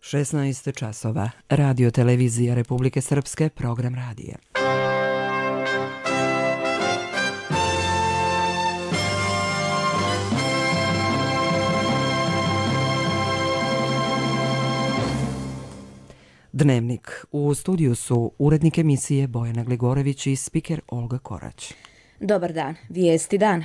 16 časova. Radio televizija Republike Srpske, program radija. Dnevnik. U studiju su urednik emisije Bojana Gligorević i spiker Olga Korać. Dobar dan. Vijesti dana.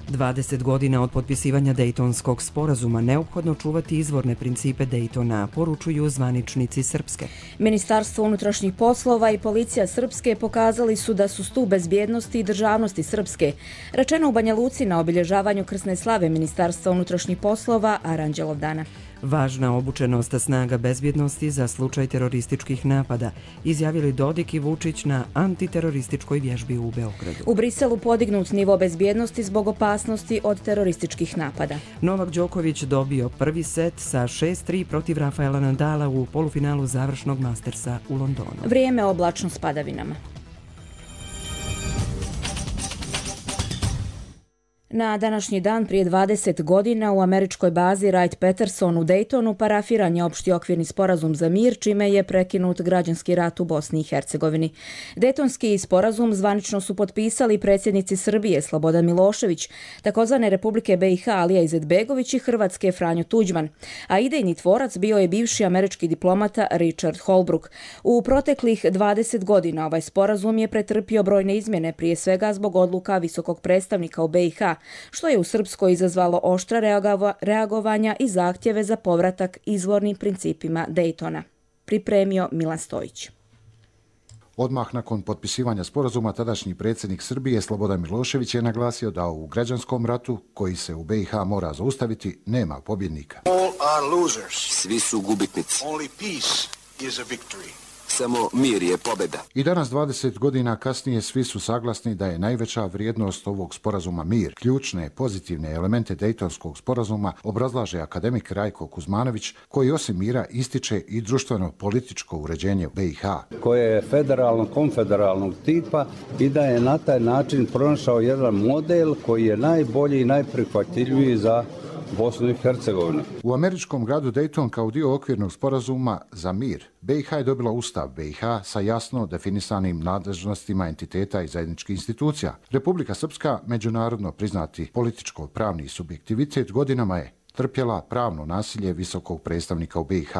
Dvadeset godina od potpisivanja Dejtonskog sporazuma neophodno čuvati izvorne principe Dejtona, poručuju zvaničnici Srpske. Ministarstvo unutrašnjih poslova i policija Srpske pokazali su da su stup bezbjednosti i državnosti Srpske, rečeno u Banja Luci na obilježavanju krsne slave Ministarstva unutrašnjih poslova Aranđelovdana. Važna obučenost snaga bezbjednosti za slučaj terorističkih napada, izjavili Dodik i Vučić na antiterorističkoj vježbi u Beogradu. U Briselu podignut nivo bezbjednosti zbog opasnosti od terorističkih napada. Novak Đoković dobio prvi set sa 6-3 protiv Rafaela Nadala u polufinalu završnog Mastersa u Londonu. Vrijeme oblačno s padavinama. Na današnji dan prije 20 godina u američkoj bazi Wright-Patterson u Daytonu parafiran je opšti okvirni sporazum za mir, čime je prekinut građanski rat u Bosni i Hercegovini. Dejtonski sporazum zvanično su potpisali predsjednici Srbije Slobodan Milošević, takozvane Republike BiH Alija Izetbegović i Hrvatske Franjo Tuđman, a idejni tvorac bio je bivši američki diplomata Richard Holbrooke. U proteklih 20 godina ovaj sporazum je pretrpio brojne izmjene, prije svega zbog odluka visokog predstavnika u BiH, što je u Srpskoj izazvalo oštra reagovanja i zahtjeve za povratak izvornim principima Dejtona. Pripremio Milan Stojić. Odmah nakon potpisivanja sporazuma tadašnji predsjednik Srbije Slobodan Milošević je naglasio da u građanskom ratu, koji se u BiH mora zaustaviti, nema pobjednika. Svi su gubitnici. Samo mir je pobjeda. I danas, 20 godina kasnije, svi su saglasni da je najveća vrijednost ovog sporazuma mir. Ključne pozitivne elemente Dejtonskog sporazuma obrazlaže akademik Rajko Kuzmanović, koji osim mira ističe i društveno-političko uređenje u BiH. Koje je federalno-konfederalnog tipa i da je na taj način pronašao jedan model koji je najbolji i najprihvatljiviji za Bosnu i Hercegovinu. U američkom gradu Dayton kao dio okvirnog sporazuma za mir, BiH je dobila Ustav BiH sa jasno definisanim nadležnostima entiteta i zajedničkih institucija. Republika Srpska, međunarodno priznati političko-pravni subjektivitet, godinama je trpjela pravno nasilje visokog predstavnika u BiH.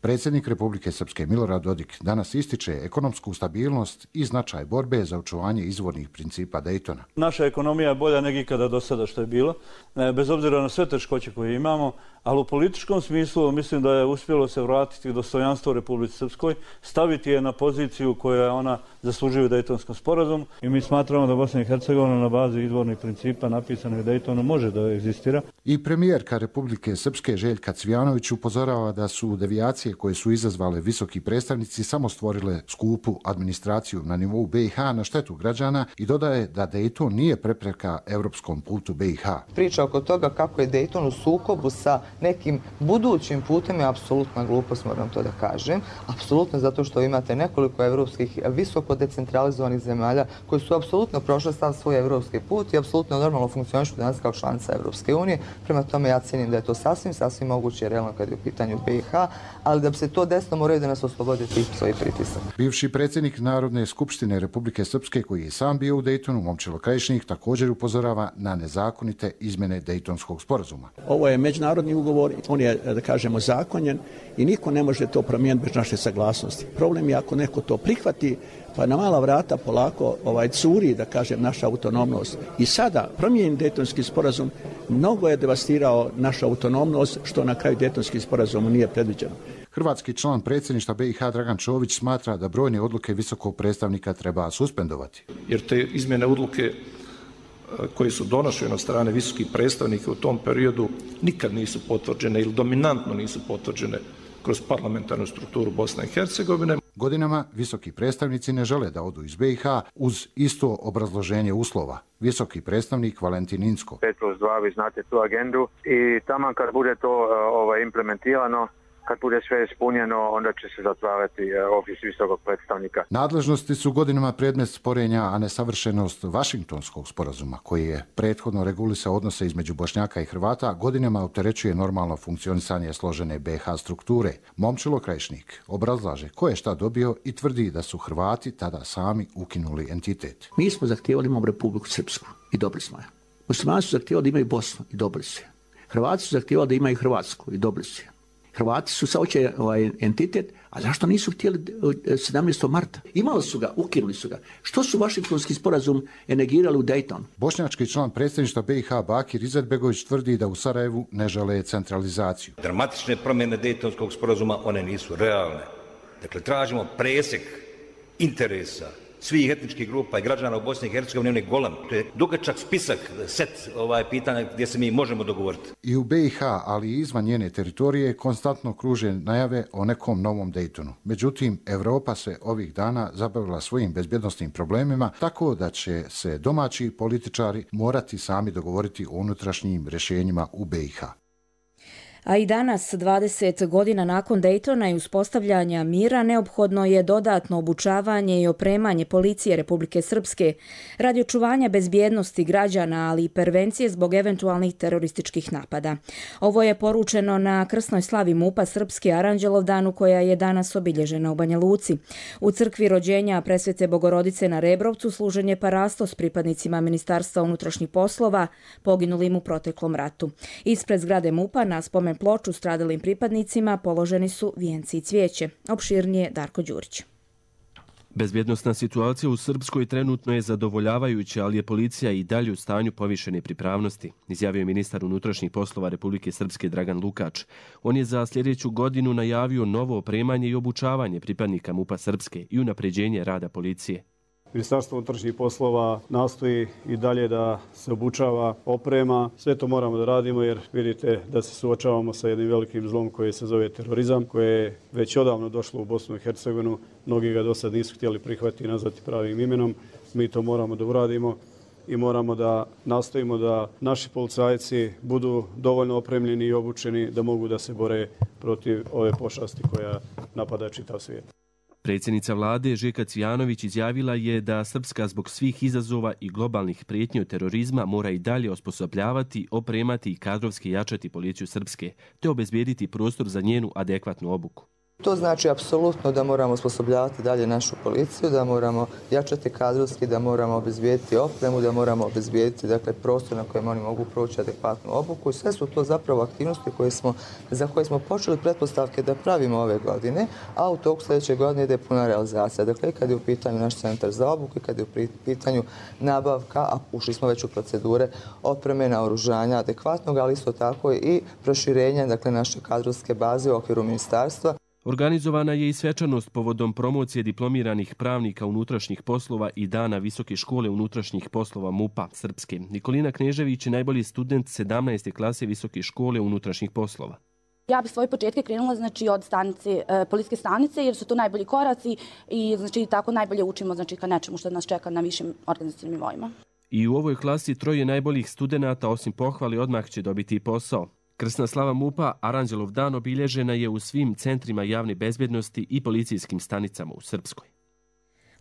Predsjednik Republike Srpske Milorad Dodik danas ističe ekonomsku stabilnost i značaj borbe za očuvanje izvornih principa Dejtona. Naša ekonomija je bolja nego ikada do sada što je bilo, bez obzira na sve teškoće koje imamo, ali u političkom smislu mislim da je uspjelo se vratiti dostojanstvo Republici Srpskoj, staviti je na poziciju koja ona zaslužuje u Dejtonskom sporazumu i mi smatramo da Bosna i Hercegovina na bazi izvornih principa napisanih u Dejtonu može da egzistira. I premijerka Republike Srpske Željka Cvijanović upozorava da su devijacije koje su izazvale visoki predstavnici samo stvorile skupu administraciju na nivou BiH na štetu građana i dodaje da Dejton nije prepreka evropskom putu BiH. Priča oko toga kako je Dejton u sukobu sa nekim budućim putem je apsolutna glupost, moram to da kažem. Apsolutno, zato što imate nekoliko evropskih visoko decentralizovanih zemalja koji su apsolutno prošle stav svoj evropski put i apsolutno normalno funkcionišu danas kao članica Evropske unije. Prema tome ja cijenim da je to sasvim moguće i realno kad je u pitanju BiH, ali da bi se to desilo moraju da nas oslobode tih svojih pritisaka. Bivši predsjednik Narodne skupštine Republike Srpske, koji je sam bio u Dejtonu, Momčilo Krajišnik, također upozorava na nezakonite izmjene Dejtonskog sporazuma. Ovo je međunarodni ugovor, on je, da kažemo, zakonjen i niko ne može to promijeniti bez naše saglasnosti. Problem je ako neko to prihvati, pa na mala vrata polako curi, da kažem, naša autonomnost. I sada promijenjen Dejtonski sporazum mnogo je devastirao našu autonomnost, što na kraju Dejtonski sporazum nije predviđeno. Hrvatski član predsjedništva BiH Dragan Čović smatra da brojne odluke visokog predstavnika treba suspendovati. Jer te izmjene odluke koje su donošene od strane visokih predstavnika u tom periodu nikad nisu potvrđene ili dominantno nisu potvrđene kroz parlamentarnu strukturu Bosne i Hercegovine. Godinama visoki predstavnici ne žele da odu iz BiH uz isto obrazloženje uslova. Visoki predstavnik Valentin Inzko. 5+2, vi znate tu agendu i taman kad bude to implementirano, kad bude sve ispunjeno, onda će se zatvarati ofis visokog predstavnika. Nadležnosti su godinama predmet sporenja, a nesavršenost Vašingtonskog sporazuma, koji je prethodno regulisao odnose između Bošnjaka i Hrvata, godinama opterećuje normalno funkcionisanje složene BiH strukture. Momčilo Krajišnik obrazlaže ko je šta dobio i tvrdi da su Hrvati tada sami ukinuli entitet. Mi smo zahtijevali imamo Republiku Srpsku i dobili smo je. Muslimani su zahtijevali da imaju Bosnu i dobili su je. Hrvati su zahtijevali da imaju Hrvatsku i dobili su je. Hrvati su saoće entitet, a zašto nisu htjeli 17. marta? Imali su ga, ukinuli su ga. Što su Vašingtonski sporazum negirali u Daytonu? Bošnjački član predsjedništva BiH Bakir Izetbegović tvrdi da u Sarajevu ne žele centralizaciju. Dramatične promjene Daytonskog sporazuma, one nisu realne. Dakle, tražimo presjek interesa svih etničkih grupa i građana u Bosni i Hercegovini, on je golem. To je dugačak spisak, set pitanja gdje se mi možemo dogovoriti. I u BiH, ali i izvan njene teritorije, konstantno kruže najave o nekom novom Daytonu. Međutim, Evropa se ovih dana zabavila svojim bezbjednosnim problemima, tako da će se domaći političari morati sami dogovoriti o unutrašnjim rješenjima u BiH. A i danas, 20 godina nakon Daytona i uspostavljanja mira, neophodno je dodatno obučavanje i opremanje policije Republike Srpske radi očuvanja bezbjednosti građana, ali i prevencije zbog eventualnih terorističkih napada. Ovo je poručeno na krsnoj slavi MUP-a Srpske Aranđelovdanu, koja je danas obilježena u Banja Luci. U crkvi rođenja Presvete Bogorodice na Rebrovcu služen je parasto s pripadnicima Ministarstva unutrašnjih poslova poginulim u proteklom ratu. Ispred zgrade MUP-a na spomen ploču stradalim pripadnicima položeni su vijenci i cvijeće. Opširnije Darko Đurić. Bezbjednosna situacija u Srpskoj trenutno je zadovoljavajuća, ali je policija i dalje u stanju povišene pripravnosti, izjavio je ministar unutrašnjih poslova Republike Srpske Dragan Lukač. On je za sljedeću godinu najavio novo opremanje i obučavanje pripadnika MUP-a Srpske i unapređenje rada policije. Ministarstvo unutrašnjih poslova nastoji i dalje da se obučava, oprema. Sve to moramo da radimo jer vidite da se suočavamo sa jednim velikim zlom koji se zove terorizam, koje je već odavno došlo u Bosnu i Hercegovinu. Mnogi ga do sad nisu htjeli prihvatiti i nazvati pravim imenom. Mi to moramo da uradimo i moramo da nastojimo da naši policajci budu dovoljno opremljeni i obučeni da mogu da se bore protiv ove pošasti koja napada čitav svijet. Predsjednica vlade Željka Cvijanović izjavila je da Srpska zbog svih izazova i globalnih prijetnji od terorizma mora i dalje osposobljavati, opremati i kadrovski jačati policiju Srpske, te obezbijediti prostor za njenu adekvatnu obuku. To znači apsolutno da moramo osposobljavati dalje našu policiju, da moramo jačati kadrovski, da moramo obezbijediti opremu, da moramo obezbijediti prostor na kojem oni mogu proći adekvatnu obuku. I sve su to zapravo aktivnosti za koje smo počeli pretpostavke da pravimo ove godine, a u toku sljedeće godine ide puna realizacija. Dakle, kad je u pitanju naš centar za obuku, kad je u pitanju nabavka, a ušli smo već u procedure opreme, naoružanja adekvatnog, ali isto tako i proširenja naše kadrovske baze u okviru ministarstva. Organizovana je i svečanost povodom promocije diplomiranih pravnika unutrašnjih poslova i dana Visoke škole unutrašnjih poslova MUP-a Srpske. Nikolina Knežević je najbolji student 17. klase Visoke škole unutrašnjih poslova. Ja bih svoje početke krenula od policijske stanice jer su to najbolji koraci i tako najbolje učimo ka nečemu što nas čeka na višim organizacijnim nivoima. I u ovoj klasi 3 najboljih studenata osim pohvali odmah će dobiti i posao. Krsna slava MUP-a Aranđelovdan obilježena je u svim centrima javne bezbjednosti i policijskim stanicama u Srpskoj.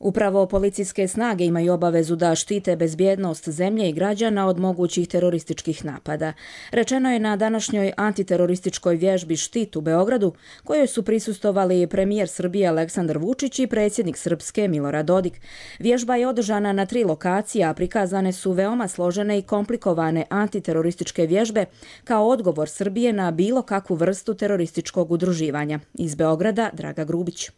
Upravo policijske snage imaju obavezu da štite bezbjednost zemlje i građana od mogućih terorističkih napada. Rečeno je na današnjoj antiterorističkoj vježbi Štit u Beogradu, kojoj su prisustvovali premijer Srbije Aleksandar Vučić i predsjednik Srpske Milorad Dodik. Vježba je održana na 3 lokacije, a prikazane su veoma složene i komplikovane antiterorističke vježbe kao odgovor Srbije na bilo kakvu vrstu terorističkog udruživanja. Iz Beograda Draga Grubić.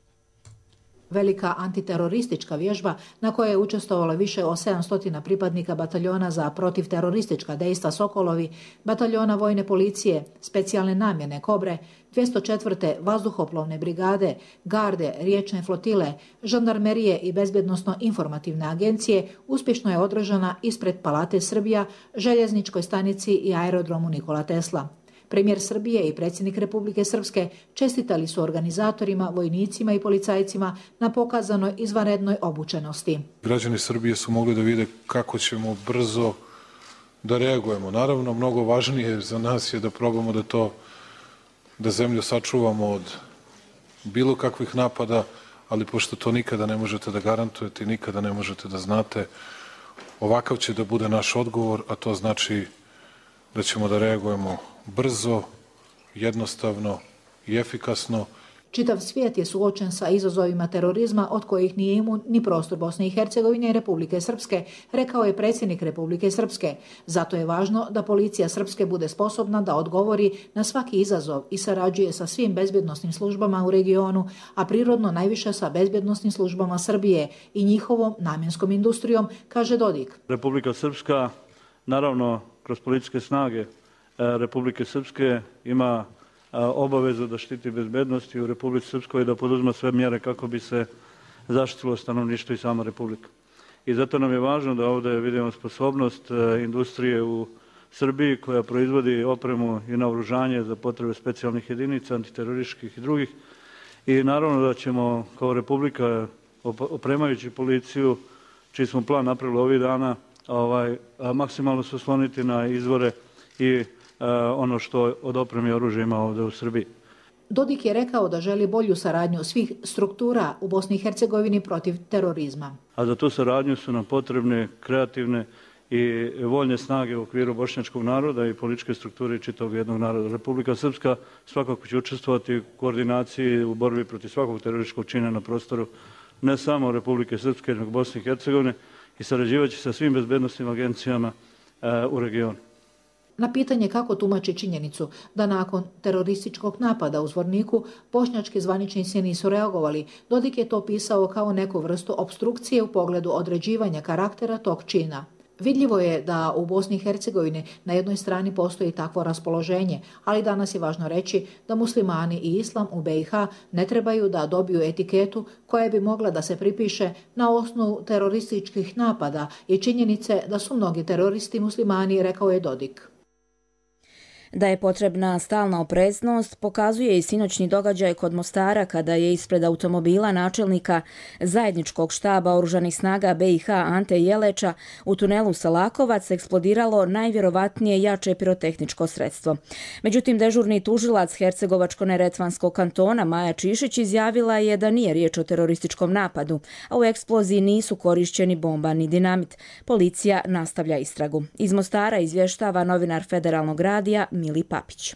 Velika antiteroristička vježba na kojoj je učestvovalo više od 700 pripadnika bataljona za protivteroristička dejstva Sokolovi, bataljona vojne policije, specijalne namjene Kobre, 204. vazduhoplovne brigade, garde, riječne flotile, žandarmerije i bezbjednosno-informativne agencije uspješno je održana ispred Palate Srbija, željezničkoj stanici i aerodromu Nikola Tesla. Premijer Srbije i predsjednik Republike Srpske čestitali su organizatorima, vojnicima i policajcima na pokazanoj izvanrednoj obučenosti. Građani Srbije su mogli da vide kako ćemo brzo da reagujemo. Naravno, mnogo važnije za nas je da probamo da to da zemlju sačuvamo od bilo kakvih napada, ali pošto to nikada ne možete da garantujete i nikada ne možete da znate, ovakav će da bude naš odgovor, a to znači da ćemo da reagujemo brzo, jednostavno i efikasno. Čitav svijet je suočen sa izazovima terorizma od kojih nije imun ni prostor Bosne i Hercegovine i Republike Srpske, rekao je predsjednik Republike Srpske. Zato je važno da policija Srpske bude sposobna da odgovori na svaki izazov i sarađuje sa svim bezbjednosnim službama u regionu, a prirodno najviše sa bezbjednosnim službama Srbije i njihovom namjenskom industrijom, kaže Dodik. Republika Srpska, naravno, kroz policijske snage Republike Srpske ima obavezu da štiti bezbednosti u Republici Srpskoj i da poduzma sve mjere kako bi se zaštitilo stanovništvo i sama Republika. I zato nam je važno da ovdje vidimo sposobnost industrije u Srbiji koja proizvodi opremu i naoružanje za potrebe specijalnih jedinica, antiterorističkih i drugih. I naravno da ćemo kao Republika, opremajući policiju, čiji smo plan napravili ovih dana, maksimalno se osloniti na izvore i ono što od opreme i oružja ima ovdje u Srbiji. Dodik je rekao da želi bolju saradnju svih struktura u Bosni i Hercegovini protiv terorizma. A za tu saradnju su nam potrebne kreativne i voljne snage u okviru bošnjačkog naroda i političke strukture čitavog jednog naroda. Republika Srpska svakako će učestvovati u koordinaciji u borbi protiv svakog terorističkog čina na prostoru ne samo Republike Srpske, nego Bosne i Hercegovine i sarađivaće sa svim bezbednosnim agencijama u regionu. Na pitanje kako tumači činjenicu da nakon terorističkog napada u Zvorniku bošnjački zvaničnici nisu reagovali, Dodik je to pisao kao neku vrstu opstrukcije u pogledu određivanja karaktera tog čina. Vidljivo je da u Bosni i Hercegovini na jednoj strani postoji takvo raspoloženje, ali danas je važno reći da muslimani i islam u BiH ne trebaju da dobiju etiketu koja bi mogla da se pripiše na osnovu terorističkih napada i činjenice da su mnogi teroristi muslimani, rekao je Dodik. Da je potrebna stalna opreznost pokazuje i sinoćni događaj kod Mostara kada je ispred automobila načelnika zajedničkog štaba oružanih snaga BiH Ante Jeleča u tunelu Salakovac eksplodiralo najvjerovatnije jače pirotehničko sredstvo. Međutim, dežurni tužilac Hercegovačko-neretvanskog kantona Maja Čišić izjavila je da nije riječ o terorističkom napadu, a u eksploziji nisu korišćeni bomba ni dinamit. Policija nastavlja istragu. Iz Mostara izvještava novinar Federalnog radija Mili Papić.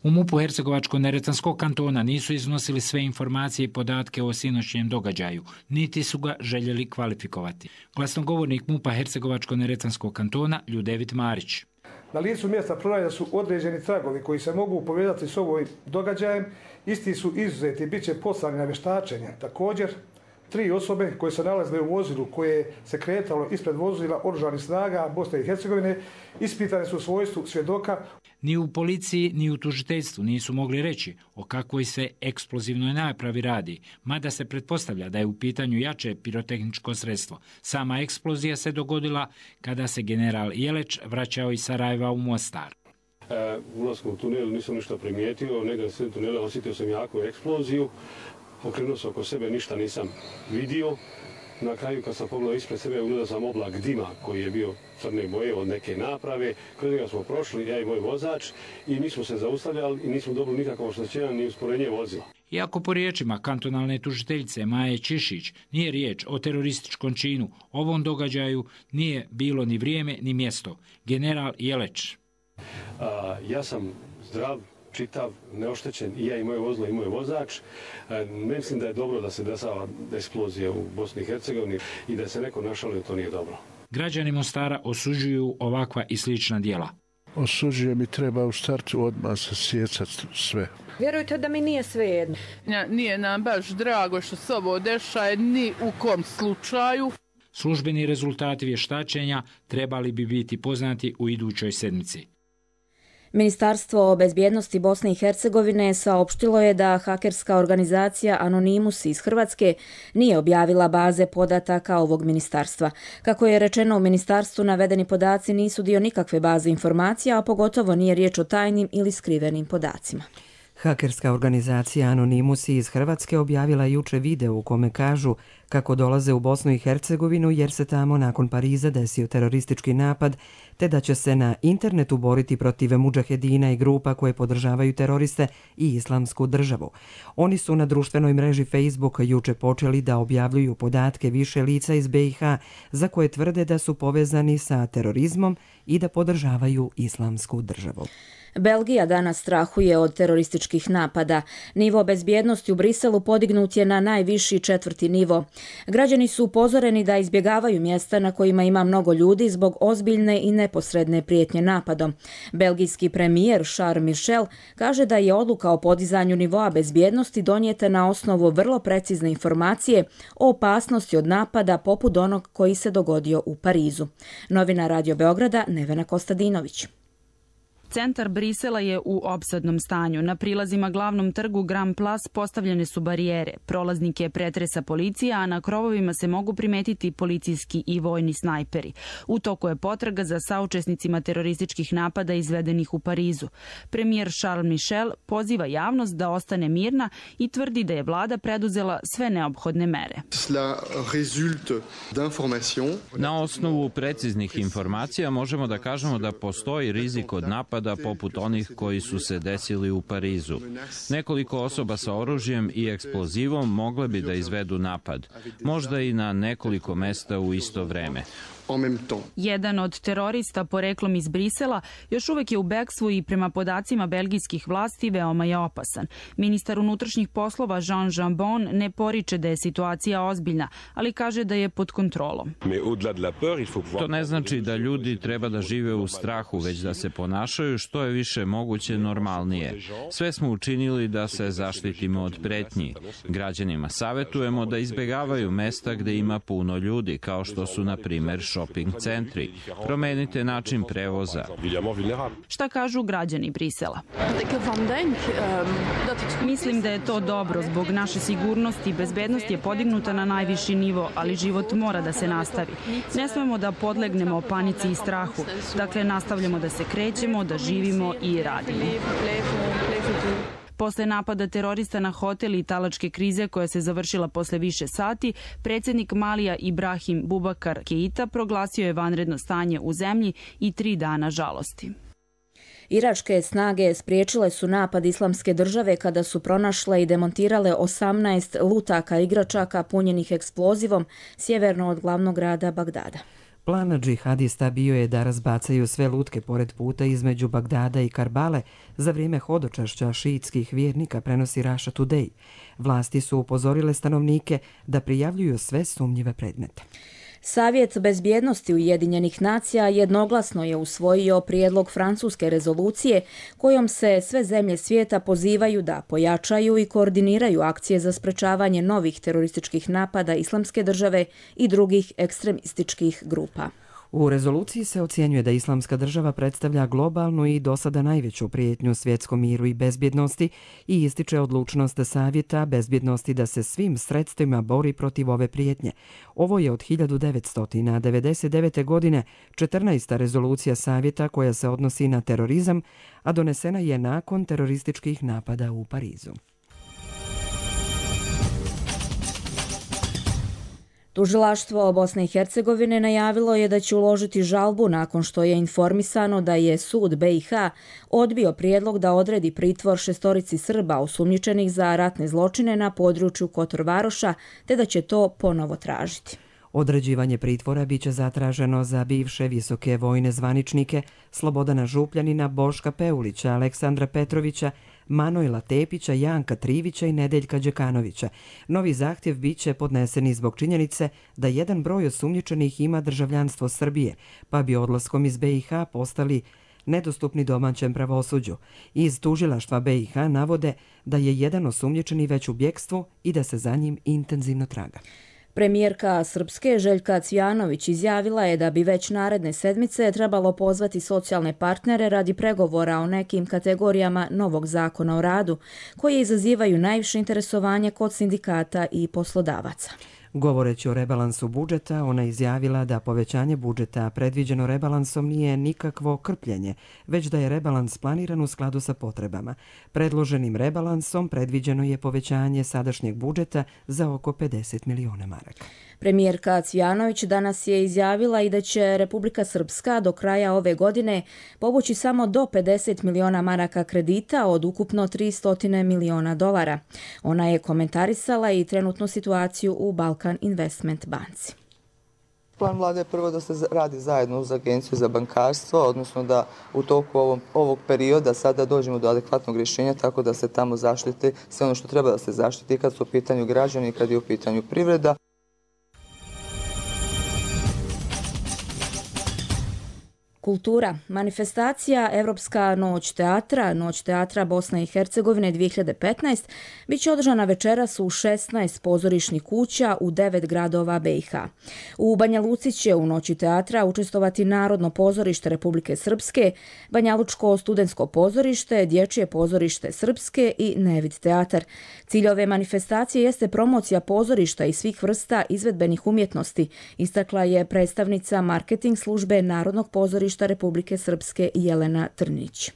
U MUP-u Hercegovačko-neretvanskog kantona nisu iznosili sve informacije i podatke o sinoćnjem događaju, niti su ga željeli kvalifikovati. Glasnogovornik MUP-a Hercegovačko-neretvanskog kantona Ljudevit Marić. Na licu mjesta pronađeni su određeni tragovi koji se mogu povezati s ovim događajem. Isti su izuzeti i bit će poslani na vještačenje. Također, 3 osobe koje se nalazile u vozilu koje se kretalo ispred vozila oružanih snaga Bosne i Hercegovine ispitane su u svojstvu svjedoka. Ni u policiji, ni u tužiteljstvu nisu mogli reći o kakvoj se eksplozivnoj napravi radi, mada se pretpostavlja da je u pitanju jače pirotehničko sredstvo. Sama eksplozija se dogodila kada se general Jeleć vraćao iz Sarajeva u Mostar. Ulaskom u tunel nisam ništa primijetio, negdje sred tunela osjetio sam jaku eksploziju. Okrenuo sam oko sebe, ništa nisam vidio. Na kraju kad sam pogledao ispred sebe, ugledao sam oblak dima koji je bio crne boje od neke naprave. Kroz njega smo prošli, ja i moj vozač, i nismo se zaustavljali i nismo dobili nikakvo oštećenje ni usporenje vozila. Iako po riječima kantonalne tužiteljice Maje Čišić nije riječ o terorističkom činu, ovom događaju nije bilo ni vrijeme ni mjesto. General Jeleć. Ja sam zdrav, čitav, neoštećen, i ja i moje vozilo i moj vozač. Mislim da je dobro da se dešava eksplozija u Bosni i Hercegovini i da se neko našalio, to nije dobro. Građani Mostara osuđuju ovakva i slična djela. Osuđujem i treba u startu odmah sasjecati sve. Vjerujte da mi nije svejedno. Nije nam baš drago što se ovo dešaje ni u kom slučaju. Službeni rezultati vještačenja trebali bi biti poznati u idućoj sedmici. Ministarstvo bezbjednosti Bosne i Hercegovine saopštilo je da hakerska organizacija Anonymous iz Hrvatske nije objavila baze podataka ovog ministarstva. Kako je rečeno u ministarstvu, navedeni podaci nisu dio nikakve baze informacija, a pogotovo nije riječ o tajnim ili skrivenim podacima. Hakerska organizacija Anonymous iz Hrvatske objavila juče video u kome kažu kako dolaze u Bosnu i Hercegovinu jer se tamo nakon Pariza desio teroristički napad, te da će se na internetu boriti protiv mudžahedina i grupa koje podržavaju teroriste i islamsku državu. Oni su na društvenoj mreži Facebook juče počeli da objavljuju podatke više lica iz BiH za koje tvrde da su povezani sa terorizmom i da podržavaju islamsku državu. Belgija danas strahuje od terorističkih napada. Nivo bezbjednosti u Briselu podignut je na najviši 4. nivo. Građani su upozoreni da izbjegavaju mjesta na kojima ima mnogo ljudi zbog ozbiljne i neposredne prijetnje napadom. Belgijski premijer Charles Michel kaže da je odluka o podizanju nivoa bezbjednosti donijeta na osnovu vrlo precizne informacije o opasnosti od napada poput onog koji se dogodio u Parizu. Novina Radio Beograda Nevena Kostadinović. Centar Brisela je u opsadnom stanju. Na prilazima glavnom trgu Grand Place postavljene su barijere. Prolaznike pretresa policija, a na krovovima se mogu primetiti policijski i vojni snajperi. U toku je potraga za saučesnicima terorističkih napada izvedenih u Parizu. Premijer Charles Michel poziva javnost da ostane mirna i tvrdi da je vlada preduzela sve neophodne mere. Na osnovu preciznih informacija možemo da kažemo da postoji rizik od napada poput onih koji su se desili u Parizu. Nekoliko osoba sa oružjem i eksplozivom mogle bi da izvedu napad, možda i na nekoliko mesta u isto vreme. Jedan od terorista poreklom iz Brisela još uvek je u bekstvu i prema podacima belgijskih vlasti veoma je opasan. Ministar unutrašnjih poslova Jean Jambon ne poriče da je situacija ozbiljna, ali kaže da je pod kontrolom. To ne znači da ljudi treba da žive u strahu, već da se ponašaju što je više moguće normalnije. Sve smo učinili da se zaštitimo od pretnji. Građanima savetujemo da izbjegavaju mesta gde ima puno ljudi, kao što su, na primer, shopping centri. Promenite način prevoza. Šta kažu građani Brisela? Mislim da je to dobro. Zbog naše sigurnosti i bezbednosti je podignuta na najviši nivo, ali život mora da se nastavi. Ne smemo da podlegnemo panici i strahu. Dakle, nastavljamo da se krećemo, da živimo i radimo. Posle napada terorista na hotel i talačke krize koja se završila posle više sati, predsjednik Malija Ibrahim Bubakar Keita proglasio je vanredno stanje u zemlji i 3 dana žalosti. Iračke snage spriječile su napad Islamske države kada su pronašle i demontirale 18 lutaka igračaka punjenih eksplozivom sjeverno od glavnog grada Bagdada. Plan džihadista bio je da razbacaju sve lutke pored puta između Bagdada i Karbale za vrijeme hodočašća šiitskih vjernika, prenosi Russia Today. Vlasti su upozorile stanovnike da prijavljuju sve sumnjive predmete. Savjet bezbjednosti Ujedinjenih nacija jednoglasno je usvojio prijedlog francuske rezolucije kojom se sve zemlje svijeta pozivaju da pojačaju i koordiniraju akcije za sprečavanje novih terorističkih napada Islamske države i drugih ekstremističkih grupa. U rezoluciji se ocjenjuje da Islamska država predstavlja globalnu i do sada najveću prijetnju svjetskom miru i bezbjednosti i ističe odlučnost Savjeta bezbjednosti da se svim sredstvima bori protiv ove prijetnje. Ovo je od 1999. godine 14. rezolucija Savjeta koja se odnosi na terorizam, a donesena je nakon terorističkih napada u Parizu. Tužilaštvo Bosne i Hercegovine najavilo je da će uložiti žalbu nakon što je informisano da je sud BiH odbio prijedlog da odredi pritvor 6 Srba osumnjičenih za ratne zločine na području Kotor Varoša, te da će to ponovo tražiti. Određivanje pritvora biće zatraženo za bivše visoke vojne zvaničnike Slobodana Župljanina, Boška Peulića, Aleksandra Petrovića, Manojla Tepića, Janka Trivića i Nedeljka Đekanovića. Novi zahtjev biće podneseni zbog činjenice da jedan broj osumnjičenih ima državljanstvo Srbije, pa bi odlaskom iz BiH postali nedostupni domaćem pravosuđu. Iz tužilaštva BiH navode da je jedan osumnjičeni već u bjekstvu i da se za njim intenzivno traga. Premijerka Srpske Željka Cvijanović izjavila je da bi već naredne sedmice trebalo pozvati socijalne partnere radi pregovora o nekim kategorijama novog zakona o radu, koje izazivaju najviše interesovanje kod sindikata i poslodavaca. Govoreći o rebalansu budžeta, ona izjavila da povećanje budžeta predviđeno rebalansom nije nikakvo krpljenje, već da je rebalans planiran u skladu sa potrebama. Predloženim rebalansom predviđeno je povećanje sadašnjeg budžeta za oko 50 miliona maraka. Premijerka Cvijanović danas je izjavila i da će Republika Srpska do kraja ove godine povući samo do 50 miliona maraka kredita od ukupno 300 miliona dolara. Ona je komentarisala i trenutnu situaciju u Balkan Investment banci. Plan vlade je prvo da se radi zajedno uz Agenciju za bankarstvo, odnosno da u toku ovog perioda sada dođemo do adekvatnog rješenja tako da se tamo zaštiti sve ono što treba da se zaštiti kad su u pitanju građani i kad je u pitanju privreda. Kultura. Manifestacija Evropska noć teatra Bosna i Hercegovine 2015 bit će održana večeras u 16 pozorišnih kuća u 9 gradova BiH. U Banja Luci će u noći teatra učestvovati Narodno pozorište Republike Srpske, Banjalučko studentsko pozorište, Dječje pozorište Srpske i Nevid teatar. Cilj ove manifestacije jeste promocija pozorišta i svih vrsta izvedbenih umjetnosti, istakla je predstavnica marketing službe Narodnog pozorišta Republike Srpske Jelena Trnić.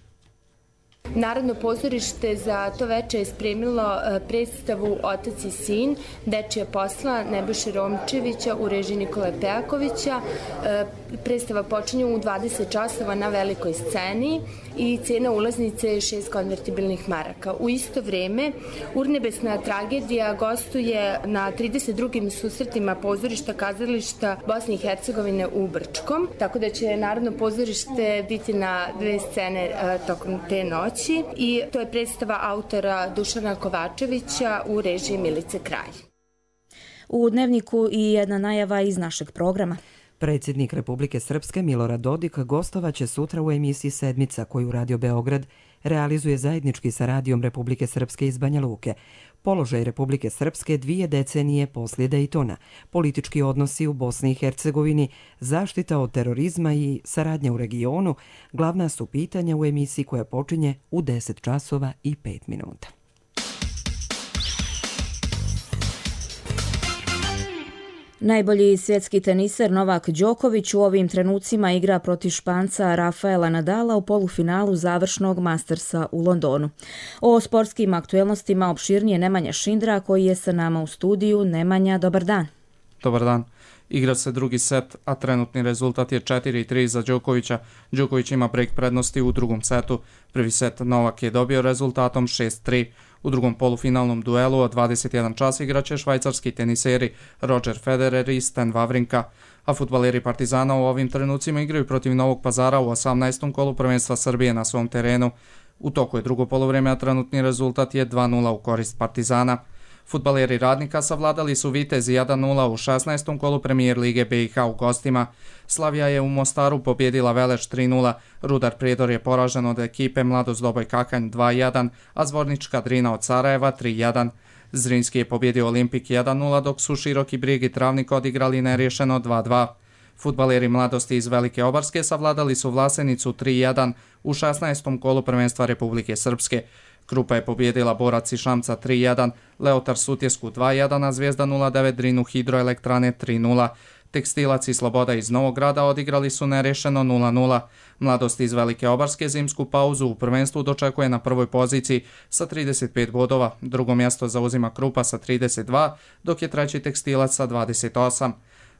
Narodno pozorište za to veče je spremilo predstavu Otac i sin, Dečija posla Nebojše Romčevića u režiji Nikole Pejakovića. Predstava počinje u 20 časova na velikoj sceni i cena ulaznice je 6 konvertibilnih maraka. U isto vreme Urnebesna tragedija gostuje na 32. susretima pozorišta kazališta Bosne i Hercegovine u Brčkom, tako da će Narodno pozorište biti na 2 scene tokom te noći. I to je predstava autora Dušana Kovačevića u režiji Milice Kralj. U Dnevniku i jedna najava iz našeg programa. Predsjednik Republike Srpske Milorad Dodik gostovaće sutra u emisiji Sedmica koju Radio Beograd realizuje zajednički sa Radijom Republike Srpske iz Banja Luke. Položaj Republike Srpske 2 decenije poslije Dejtona, politički odnosi u Bosni i Hercegovini, zaštita od terorizma i saradnja u regionu glavna su pitanja u emisiji koja počinje u 10 časova i 5 minuta. Najbolji svjetski teniser Novak Đoković u ovim trenucima igra protiv Španca Rafaela Nadala u polufinalu završnog Mastersa u Londonu. O sportskim aktuelnostima opširnije Nemanja Šindra koji je sa nama u studiju. Nemanja, dobar dan. Dobar dan. Igra se drugi set, a trenutni rezultat je 4-3 za Đokovića. Đoković ima break prednosti u drugom setu. Prvi set Novak je dobio rezultatom 6-3. U drugom polufinalnom duelu od 21 čas igraće švajcarski teniseri Roger Federer i Stan Wawrinka, a fudbaleri Partizana u ovim trenucima igraju protiv Novog Pazara u 18. kolu prvenstva Srbije na svom terenu. U toku je drugo poluvreme, a trenutni rezultat je 2-0 u korist Partizana. Fudbaleri Radnika savladali su Vitezi 1-0 u 16. kolu premijer lige BiH u gostima. Slavija je u Mostaru pobjedila Veleš 3-0, Rudar Prijedor je poražen od ekipe Mladost Doboj Kakanj 2-1, a Zvornička Drina od Sarajeva 3-1. Zrinski je pobjedio Olimpik 1-0, dok su Široki Brijeg i Travnik odigrali nerješeno 2-2. Fudbaleri Mladosti iz Velike Obarske savladali su Vlasenicu 3-1 u 16. kolu prvenstva Republike Srpske. Krupa je pobjedila Borac i Šamca 3-1, Leotar Sutjesku 2-1, a Zvijezda 09 Drinu Hidroelektrane 3-0. Tekstilac i Sloboda iz Novog Grada odigrali su nerješeno 0-0. Mladost iz Velike Obarske zimsku pauzu u prvenstvu dočekuje na prvoj poziciji sa 35 bodova. Drugo mjesto zauzima Krupa sa 32, dok je treći Tekstilac sa 28.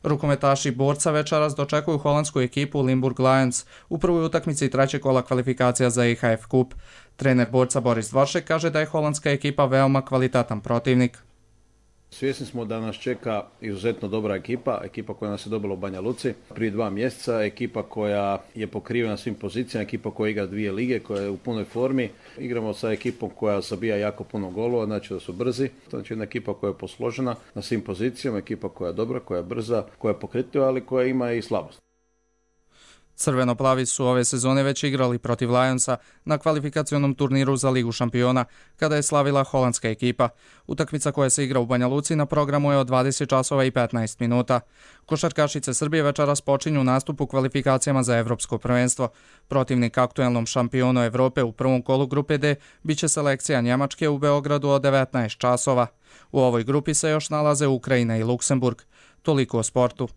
Rukometaši Borca večeras dočekuju holandsku ekipu Limburg Lions u prvoj utakmici trećeg kola kvalifikacija za IHF Kup. Trener Borca Boris Dvoršek kaže da je holandska ekipa veoma kvalitetan protivnik. Svjesni smo da nas čeka izuzetno dobra ekipa koja nas je dobila u Banja Luci prije 2 mjeseca, ekipa koja je pokrivena svim pozicijama, ekipa koja igra 2 lige, koja je u punoj formi. Igramo sa ekipom koja zabija jako puno golova, znači da su brzi. Znači jedna ekipa koja je posložena na svim pozicijama, ekipa koja je dobra, koja je brza, koja je pokretljiva, ali koja ima i slabost. Crveno-plavi su ove sezone već igrali protiv Lionsa na kvalifikacionom turniru za Ligu šampiona, kada je slavila holandska ekipa. Utakmica koja se igra u Banja Luci na programu je od 20 časova i 15 minuta. Košarkašice Srbije večeras počinju nastup u kvalifikacijama za Evropsko prvenstvo. Protivnik aktuelnom šampionu Evrope u prvom kolu grupe D biće selekcija Njemačke u Beogradu od 19 časova. U ovoj grupi se još nalaze Ukrajina i Luksemburg. Toliko o sportu.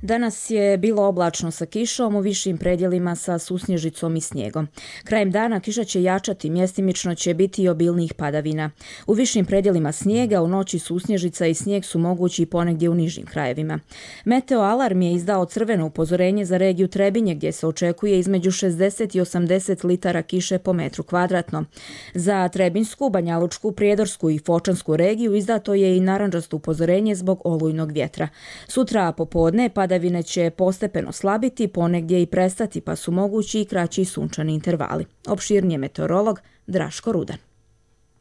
Danas je bilo oblačno sa kišom, u višim predjelima sa susnježicom i snijegom. Krajem dana kiša će jačati, mjestimično će biti i obilnih padavina. U višim predjelima snijega, u noći susnježica i snijeg su mogući ponegdje u nižim krajevima. Meteo Alarm je izdao crveno upozorenje za regiju Trebinje, gdje se očekuje između 60 i 80 litara kiše po metru kvadratnom. Za Trebinsku, Banjalučku, Prijedorsku i Fočansku regiju izdato je i narandžasto upozorenje zbog olujnog vjetra. Sutra popodne padavine će postepeno slabiti, ponegdje i prestati, pa su mogući i kraći sunčani intervali. Opširnije meteorolog Draško Rudan.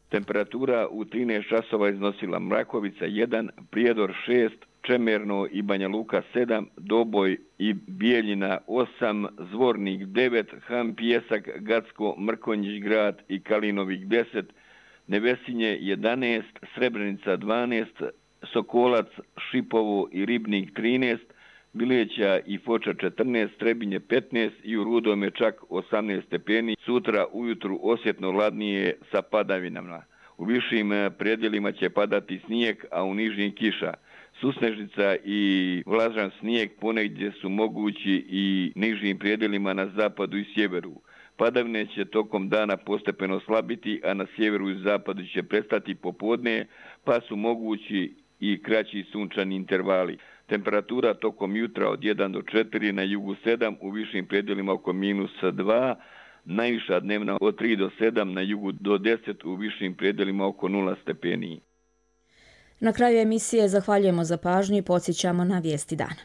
Temperatura u 13 časova iznosila Mrakovica 1, Prijedor 6, Čemerno i Banja Luka 7, Doboj i Bijeljina 8, Zvornik 9, Han Pijesak, Gacko, Mrkonjić grad i Kalinovik 10, Nevesinje 11, Srebrenica 12, Sokolac, Šipovo i Ribnik 13, Bileća i Foča 14, Trebinje 15 i u Rudome čak 18 stepeni. Sutra ujutru osjetno hladnije sa padavinama. U višim predjelima će padati snijeg, a u nižim kiša. Susnežica i vlažan snijeg ponegdje su mogući i nižim predjelima na zapadu i sjeveru. Padavine će tokom dana postepeno slabiti, a na sjeveru i zapadu će prestati popodne, pa su mogući i kraći sunčani intervali. Temperatura tokom jutra od 1 do 4, na jugu 7, u višim predjelima oko -2, najviša dnevna od 3 do 7, na jugu do 10, u višim predjelima oko 0 stepeni. Na kraju emisije zahvaljujemo za pažnju i podsjećamo na vijesti dana.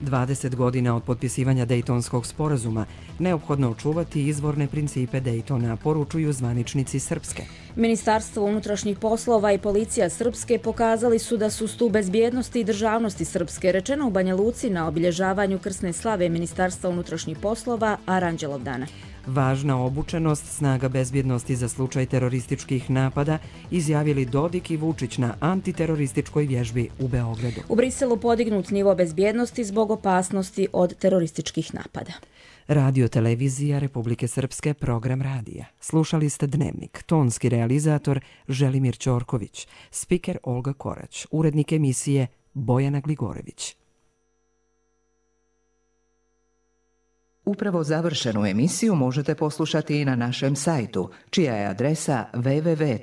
Dvadeset godina od potpisivanja Dejtonskog sporazuma, neophodno očuvati izvorne principe Dejtona, poručuju zvaničnici Srpske. Ministarstvo unutrašnjih poslova i policija Srpske pokazali su da su stup bezbjednosti i državnosti Srpske, rečeno u Banja Luci na obilježavanju krsne slave Ministarstva unutrašnjih poslova Aranđelov dana. Važna obučenost snaga bezbjednosti za slučaj terorističkih napada izjavili Dodik i Vučić na antiterorističkoj vježbi u Beogradu. U Briselu podignut nivo bezbjednosti zbog opasnosti od terorističkih napada. Radio televizija Republike Srpske, program radija. Slušali ste Dnevnik, tonski realizator Želimir Ćorković, spiker Olga Korać, urednik emisije Bojana Gligorević. Upravo završenu emisiju možete poslušati i na našem sajtu, čija je adresa www.rtrs.tv.